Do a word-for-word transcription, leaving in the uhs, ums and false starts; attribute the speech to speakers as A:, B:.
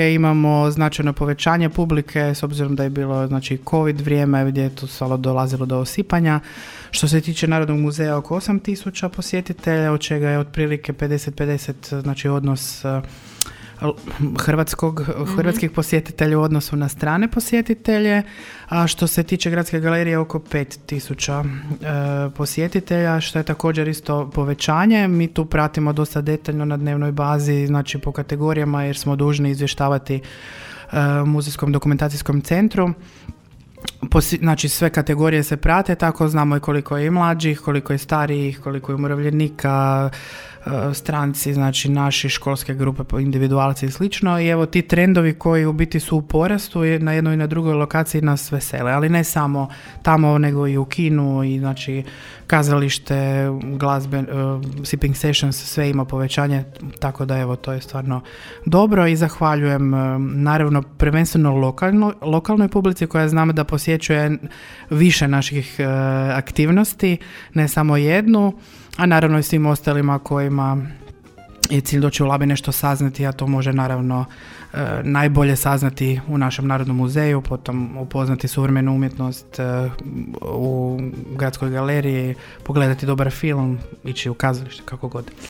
A: Imamo značajno povećanje publike s obzirom da je bilo znači COVID vrijeme gdje je tu stalo dolazilo do osipanja. Što se tiče Narodnog muzeja oko osam tisuća posjetitelja, od čega je otprilike pedeset pedeset znači odnos hrvatskog, mm-hmm. hrvatskih posjetitelja u odnosu na strane posjetitelje, a što se tiče Gradske galerije oko pet tisuća e, posjetitelja, što je također isto povećanje. Mi tu pratimo dosta detaljno na dnevnoj bazi, znači po kategorijama, jer smo dužni izvještavati e, Muzejskom dokumentacijskom centru. Posi, znači sve kategorije se prate, tako znamo i koliko je i mlađih, koliko je starijih, koliko je umirovljenika, stranci, znači naši školske grupe, individualci i slično. I evo ti trendovi koji u biti su u porastu na jednoj i na drugoj lokaciji nas vesele, ali ne samo tamo, nego i u kinu i znači kazalište, glazbe, uh, sipping sessions, sve ima povećanje, tako da evo to je stvarno dobro i zahvaljujem uh, naravno prvenstveno lokalno, lokalnoj publici koja znamo da posjećuje više naših uh, aktivnosti, ne samo jednu, a naravno i svim ostalima kojima je cilj doći u Labin nešto saznati, a to može naravno e, najbolje saznati u našem Narodnom muzeju, potom upoznati suvremenu umjetnost e, u Gradskoj galeriji, pogledati dobar film, ići u kazalište, kako god.